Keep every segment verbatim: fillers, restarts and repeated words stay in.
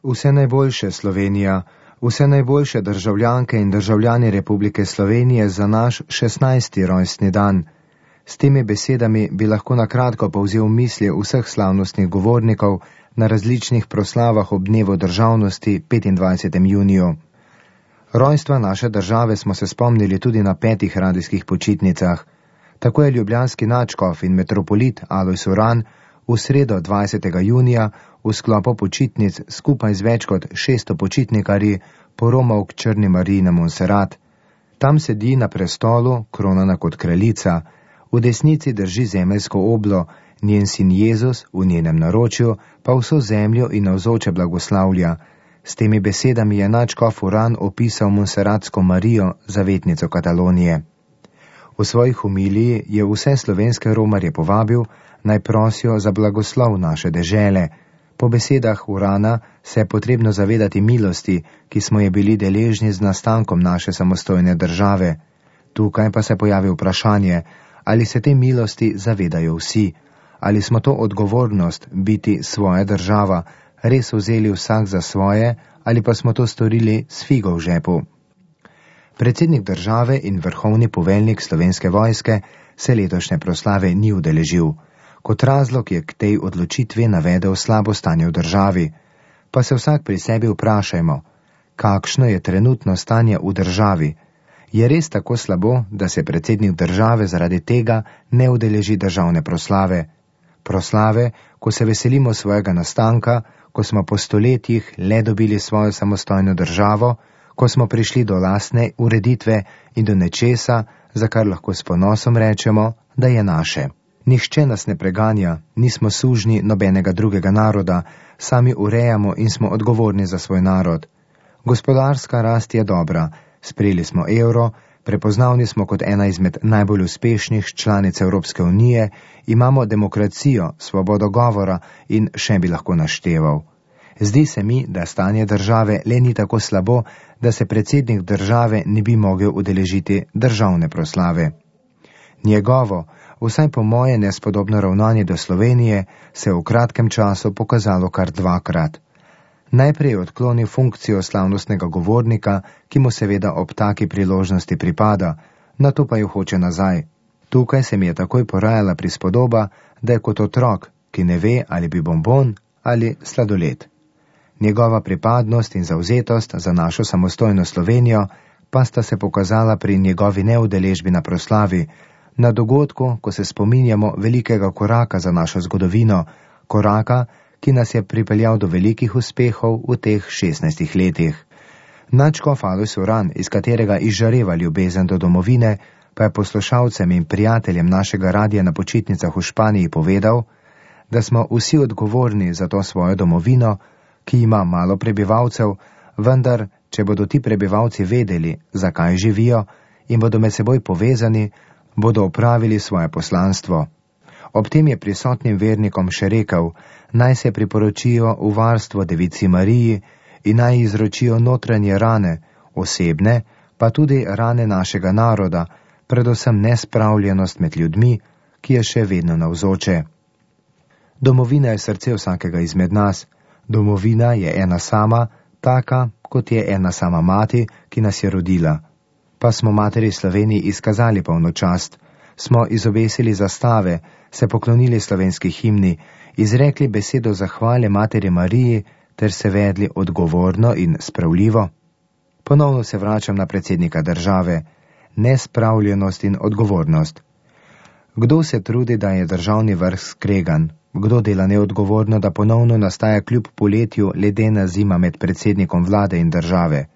Vse najboljše, Slovenija, vse najboljše državljanke in državljani Republike Slovenije za naš šestnajsti rojstni dan. S temi besedami bi lahko na kratko povzel misli vseh slavnostnih govornikov na različnih proslavah ob dnevu državnosti petindvajsetega junija. Rojstva naše države smo se spomnili tudi na petih radijskih počitnicah. Tako je ljubljanski nadškof in metropolit Alojz Uran v sredo dvajsetega junija v sklopu počitnic skupaj z več kot šeststo počitnikarji poromal k Črni Mariji na Monserat. Tam sedi na prestolu, kronana kot kraljica, v desnici drži zemeljsko oblo, njen sin Jezus v njenem naročju pa vso zemljo in navzoče blagoslavlja. S temi besedami je nadškof Uran opisal Monseratsko Marijo, zavetnico Katalonije. V svoji homiliji je vse slovenske romarje povabil, naj prosijo za blagoslov naše dežele. Po besedah Urana se je potrebno zavedati milosti, ki smo je bili deležni z nastankom naše samostojne države. Tukaj pa se pojavi vprašanje, ali se te milosti zavedajo vsi, ali smo to odgovornost biti svoja država res vzeli vsak za svoje, ali pa smo to storili s figo v žepu. Predsednik države in vrhovni poveljnik Slovenske vojske se letošnje proslave ni udeležil. Kot razlog je k tej odločitvi navedel slabo stanje v državi. Pa se vsak pri sebi vprašajmo, kakšno je trenutno stanje v državi? Je res tako slabo, da se predsednik države zaradi tega ne udeleži državne proslave? Proslave, ko se veselimo svojega nastanka, ko smo po stoletjih le dobili svojo samostojno državo, ko smo prišli do lastne ureditve in do nečesa, za kar lahko s ponosom rečemo, da je naše. Nihče nas ne preganja, nismo sužnji nobenega drugega naroda, sami urejamo in smo odgovorni za svoj narod. Gospodarska rast je dobra, sprejeli smo evro, prepoznavni smo kot ena izmed najbolj uspešnih članic Evropske unije, imamo demokracijo, svobodo govora in še bi lahko našteval. Zdi se mi, da stanje države le ni tako slabo, da se predsednik države ne bi mogel udeležiti državne proslave. Njegovo, vsaj po moje nespodobno ravnanje do Slovenije, se je v kratkem času pokazalo kar dvakrat. Najprej je odklonil funkcijo slavnostnega govornika, ki mu seveda ob taki priložnosti pripada, nato pa jo hoče nazaj. Tukaj se mi je takoj porajala prispodoba, da je kot otrok, ki ne ve, ali bi bonbon ali sladoled. Njegova pripadnost in zavzetost za našo samostojno Slovenijo pa sta se pokazala pri njegovi neudeležbi na proslavi, na dogodku, ko se spominjamo velikega koraka za našo zgodovino, koraka, ki nas je pripeljal do velikih uspehov v teh šestnajstih letih. Nadškof Alojz Uran, iz katerega izžareva ljubezen do domovine, pa je poslušalcem in prijateljem našega radija na počitnicah v Španiji povedal, da smo vsi odgovorni za to svojo domovino, ki ima malo prebivalcev, vendar, če bodo ti prebivalci vedeli, zakaj živijo in bodo med seboj povezani, bodo opravili svoje poslanstvo. Ob tem je prisotnim vernikom še rekel, naj se priporočijo v varstvo Devici Mariji in naj izročijo notranje rane, osebne, pa tudi rane našega naroda, predvsem nespravljenost med ljudmi, ki je še vedno navzoče. Domovina je srce vsakega izmed nas. Domovina je ena sama, taka, kot je ena sama mati, ki nas je rodila. Pa smo materi Sloveniji izkazali polno čast, smo izobesili zastave, se poklonili slovenski himni, izrekli besedo zahvale materi Mariji ter se vedli odgovorno in spravljivo. Ponovno se vračam na predsednika države, nespravljenost in odgovornost. Kdo se trudi, da je državni vrh skregan? Kdo dela neodgovorno, da ponovno nastaja kljub poletju ledena zima med predsednikom vlade in države?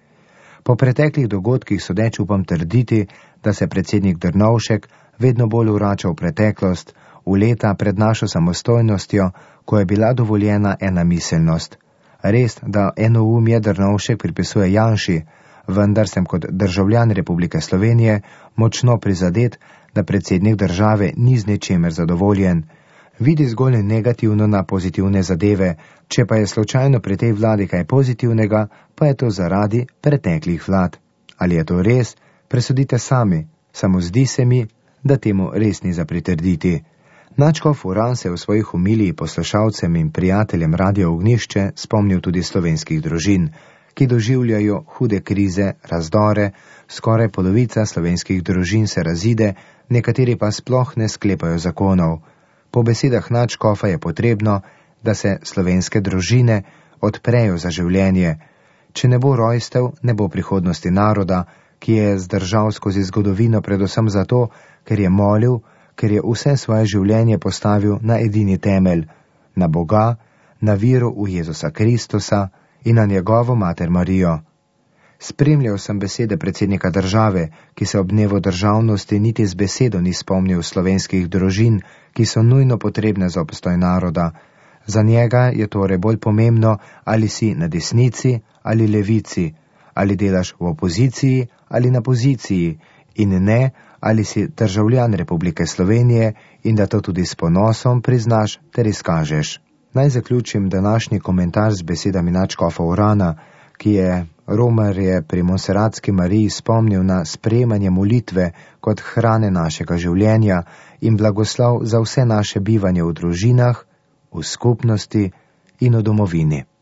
Po preteklih dogodkih sodeč upam trditi, da se predsednik Drnovšek vedno bolj vrača v preteklost, v leta pred našo samostojnostjo, ko je bila dovoljena ena miselnost. Res, da enoumje Drnovšek pripisuje Janši, vendar sem kot državljan Republike Slovenije močno prizadet, da predsednik države ni z ničemer zadovoljen. Vidi zgolj negativno na pozitivne zadeve, če pa je slučajno pri tej vladi kaj pozitivnega, pa je to zaradi preteklih vlad. Ali je to res? Presodite sami, samo zdi se mi, da temu res ni za pritrditi. Nadškof Uran se je v svojih homiliji poslušalcem in prijateljem Radio Ognjišče spomnil tudi slovenskih družin, ki doživljajo hude krize, razdore, skoraj polovica slovenskih družin se razide, nekateri pa sploh ne sklepajo zakonov. Po besedah nadškofa je potrebno, da se slovenske družine odprejo za življenje. Če ne bo rojstev, ne bo prihodnosti naroda, ki je zdržal skozi zgodovino predvsem zato, ker je molil, ker je vse svoje življenje postavil na edini temelj, na Boga, na vero v Jezusa Kristusa in na njegovo mater Marijo. Spremljal sem besede predsednika države, ki se ob dnevu državnosti niti z besedo ni spomnil slovenskih družin, ki so nujno potrebne za obstoj naroda. Za njega je torej bolj pomembno, ali si na desnici ali levici, ali delaš v opoziciji ali na poziciji, in ne, ali si državljan Republike Slovenije in da to tudi s ponosom priznaš ter izkažeš. Naj zaključim današnji komentar z besedami nadškofa Urana, ki je romarje pri Monserratski Mariji spomnil na sprejemanje molitve kot hrane našega življenja in blagoslov za vse naše bivanje v družinah, v skupnosti in v domovini.